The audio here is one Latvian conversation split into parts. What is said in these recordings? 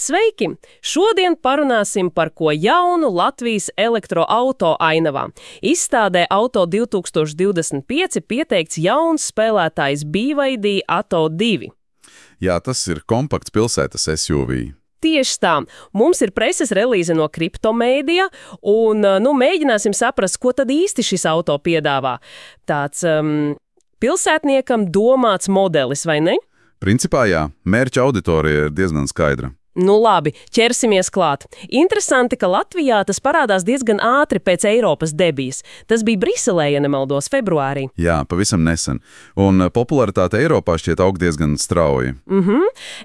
Sveiki! Šodien parunāsim par ko jaunu Latvijas elektroauto ainavā. Izstādē Auto 2025 pieteikts jauns spēlētājs BYD Atto 2. Jā, tas ir kompakts pilsētas SUV. Tieši tā. Mums ir preses relīze no Kriptomēdija, un mēģināsim saprast, ko tad īsti šis auto piedāvā. Tāds pilsētniekam domāts modelis, vai ne? Principā jā, mērķa auditorija ir diezgan skaidra. Nu labi, ķersimies klāt. Interesanti, ka Latvijā tas parādās diezgan ātri pēc Eiropas debijas. Tas bija Briselē, ja nemaldos, februārī. Jā, pavisam nesen. Un popularitāte Eiropā šķiet aug diezgan strauji.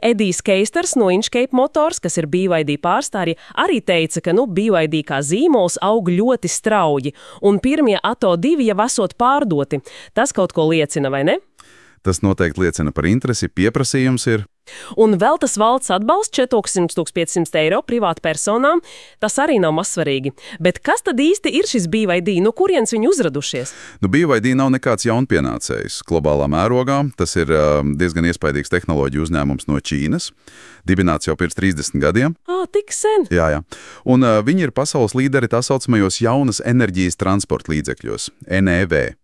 Edijs Keisters no Inchcape Motors, kas ir BYD pārstāvji, arī teica, ka BYD kā zīmols aug ļoti strauji, un pirmie Atto 2 jau esot pārdoti. Tas kaut ko liecina, vai ne? Tas noteikti liecina par interesi, pieprasījums ir. Un vēl tas valsts atbalsts 400–500 eiro privātu personām, tas arī nav mazsvarīgi. Bet kas tad īsti ir šis BYD? No kurienes viņi uzradušies? BYD nav nekāds jaunpienācējs globālā mērogā. Tas ir diezgan iespaidīgs tehnoloģiju uzņēmums no Ķīnas. Dibināts jau pirms 30 gadiem. Tik sen? Jā. Un viņi ir pasaules līderi tā saucamajos jaunas enerģijas transporta līdzekļos, NEV.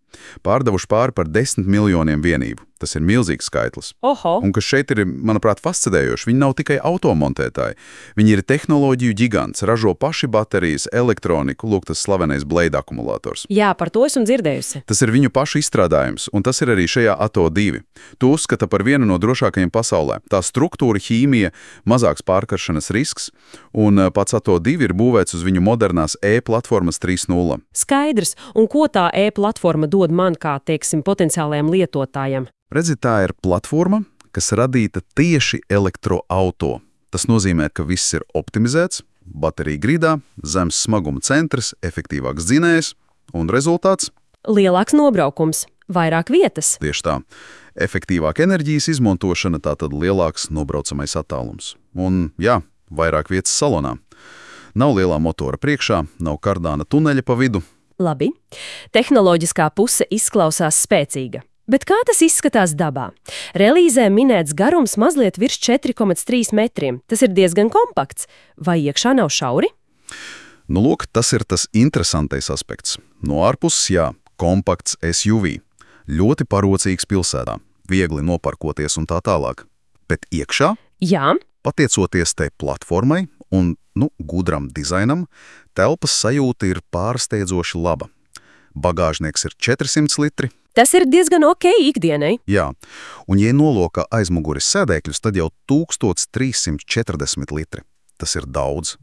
Pārdevuši pāri par 10 miljoniem vienību. Tas ir milzīgs skaitlis. Oho! Un kas šeit ir, manuprāt, fascinējoši, viņi nav tikai automontētāji. Viņi ir tehnoloģiju gigants, ražo paši baterijas, elektroniku, lūk tas slavenais Blade akumulators. Jā, par to esmu dzirdējusi. Tas ir viņu pašu izstrādājums, un tas ir arī šajā Atto 2. To uzskata par vienu no drošākajiem pasaulē. Tā struktūra, ķīmija, mazāks pārkaršanas risks, un pats Atto 2 ir būvēts uz viņu modernās e-platformas 3.0. Skaidrs, un ko tā e-platforma dod man kā, teiksim, potenciālajiem lietotājiem? Redzi, tā ir platforma, kas radīta tieši elektroauto. Tas nozīmē, ka viss ir optimizēts, baterija gridā, zems smaguma centrs, efektīvāks dzinējs un rezultāts? Lielāks nobraukums, vairāk vietas. Tieši tā. Efektīvāka enerģijas izmantošana, tātad lielāks nobraucamais attālums. Un, jā, vairāk vietas salonā. Nav lielā motora priekšā, nav kardāna tuneļa pa vidu. Labi. Tehnoloģiskā puse izklausās spēcīga. Bet kā tas izskatās dabā? Relīzē minēts garums mazliet virs 4,3 metriem. Tas ir diezgan kompakts. Vai iekšā nav šauri? Nu, lūk, tas ir tas interesantais aspekts. No ārpuses, jā, kompakts SUV. Ļoti parocīgs pilsētā. Viegli noparkoties un tā tālāk. Bet iekšā? Jā. Pateicoties tai platformai un, gudram dizainam, telpas sajūta ir pārsteidzoši laba. Bagāžnieks ir 400 litri. Tas ir diezgan ok ikdienai. Jā, un ja nolokā aizmuguris sēdēkļus, tad jau 1340 litri. Tas ir daudz.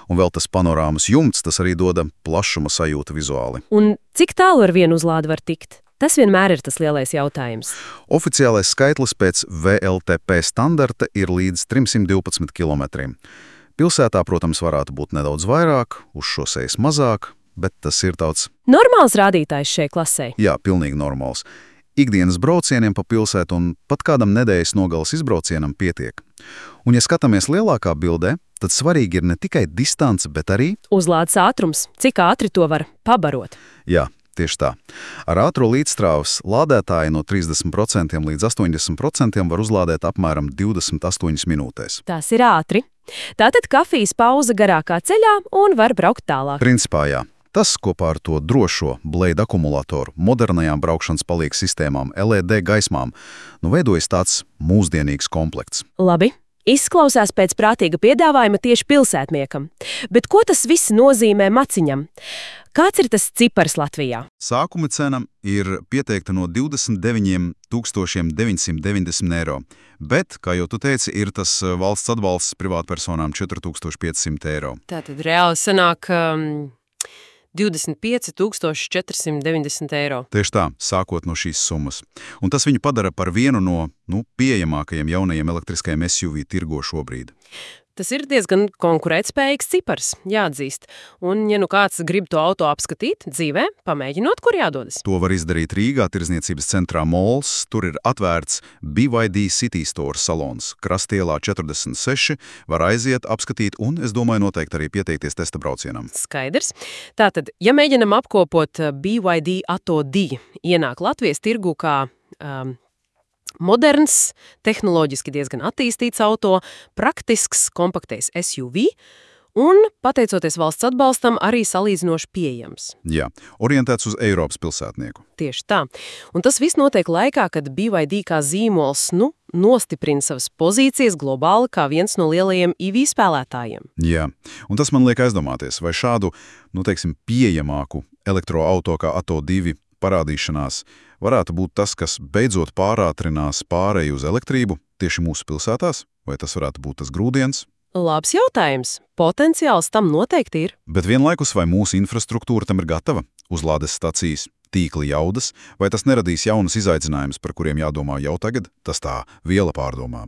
Un vēl tas panorāmas jumts, tas arī doda plašuma sajūtu vizuāli. Un cik tālu ar vienu uzlādi var tikt? Tas vienmēr ir tas lielais jautājums. Oficiālais skaitlis pēc VLTP standarta ir līdz 312 kilometriem. Pilsētā, protams, varētu būt nedaudz vairāk, uz šosejas mazāk, bet tas ir tāds... Normāls rādītājs šai klasē. Jā, pilnīgi normāls. Ikdienas braucieniem pa pilsētu un pat kādam nedēļas nogalas izbraucienam pietiek. Un, ja skatāmies lielākā bildē, tad svarīgi ir ne tikai distance, bet arī... Uzlādes ātrums. Cik ātri to var pabarot? Jā, tieši tā. Ar ātro līdzstrāvas lādētāju no 30% līdz 80% var uzlādēt apmēram 28 minūtēs. Tas ir ātri. Tātad kafijas pauze garākā ceļā un var braukt tālāk. Principā jā. Tas kopā ar to drošo Blade akumulatoru, modernajām braukšanas palīgas sistēmām, LED gaismām, veidojas tāds mūsdienīgs komplekts. Labi. Izklausās pēc prātīga piedāvājuma tieši pilsētniekam. Bet ko tas viss nozīmē maciņam? Kāds ir tas cipars Latvijā? Sākuma cena ir pieteikta no 29 990 eiro. Bet, kā jau tu teici, ir tas valsts atbalsts privātpersonām 4500 eiro. Tātad reāli sanāk 25 490 eiro. Tieši tā, sākot no šīs summas. Un tas viņu padara par vienu no pieejamākajiem jaunajiem elektriskajiem SUV tirgo šobrīd. Tas ir diezgan konkurētspējīgs cipars, jāatzīst. Un, ja kāds grib to auto apskatīt dzīvē, pamēģinot, kur jādodas. To var izdarīt Rīgā, tirdzniecības centrā Mols. Tur ir atvērts BYD City Store salons. Krastielā 46 var aiziet, apskatīt un, es domāju, noteikti arī pieteikties testa braucienam. Skaidrs. Tātad, ja mēģinam apkopot BYD Atto 2, ienāk Latvijas tirgu kā Moderns, tehnoloģiski diezgan attīstīts auto, praktisks, kompaktais SUV un, pateicoties valsts atbalstam, arī salīdzinoši pieejams. Jā, orientēts uz Eiropas pilsētnieku. Tieši tā. Un tas viss notiek laikā, kad BYD kā zīmols, nostiprina savas pozīcijas globāli kā viens no lielajiem EV spēlētājiem. Jā, un tas man liek aizdomāties, vai šādu, pieejamāku elektroauto kā Atto 2 parādīšanās varētu būt tas, kas beidzot pārātrinās pāreju uz elektrību tieši mūsu pilsētās, vai tas varētu būt tas grūdienis? Labs jautājums. Potenciāls tam noteikti ir. Bet vienlaikus vai mūsu infrastruktūra tam ir gatava? Uzlādes stacijas, tīkli jaudas, vai tas neradīs jaunus izaicinājumus, par kuriem jādomā jau tagad? Tas tā viela pārdomām.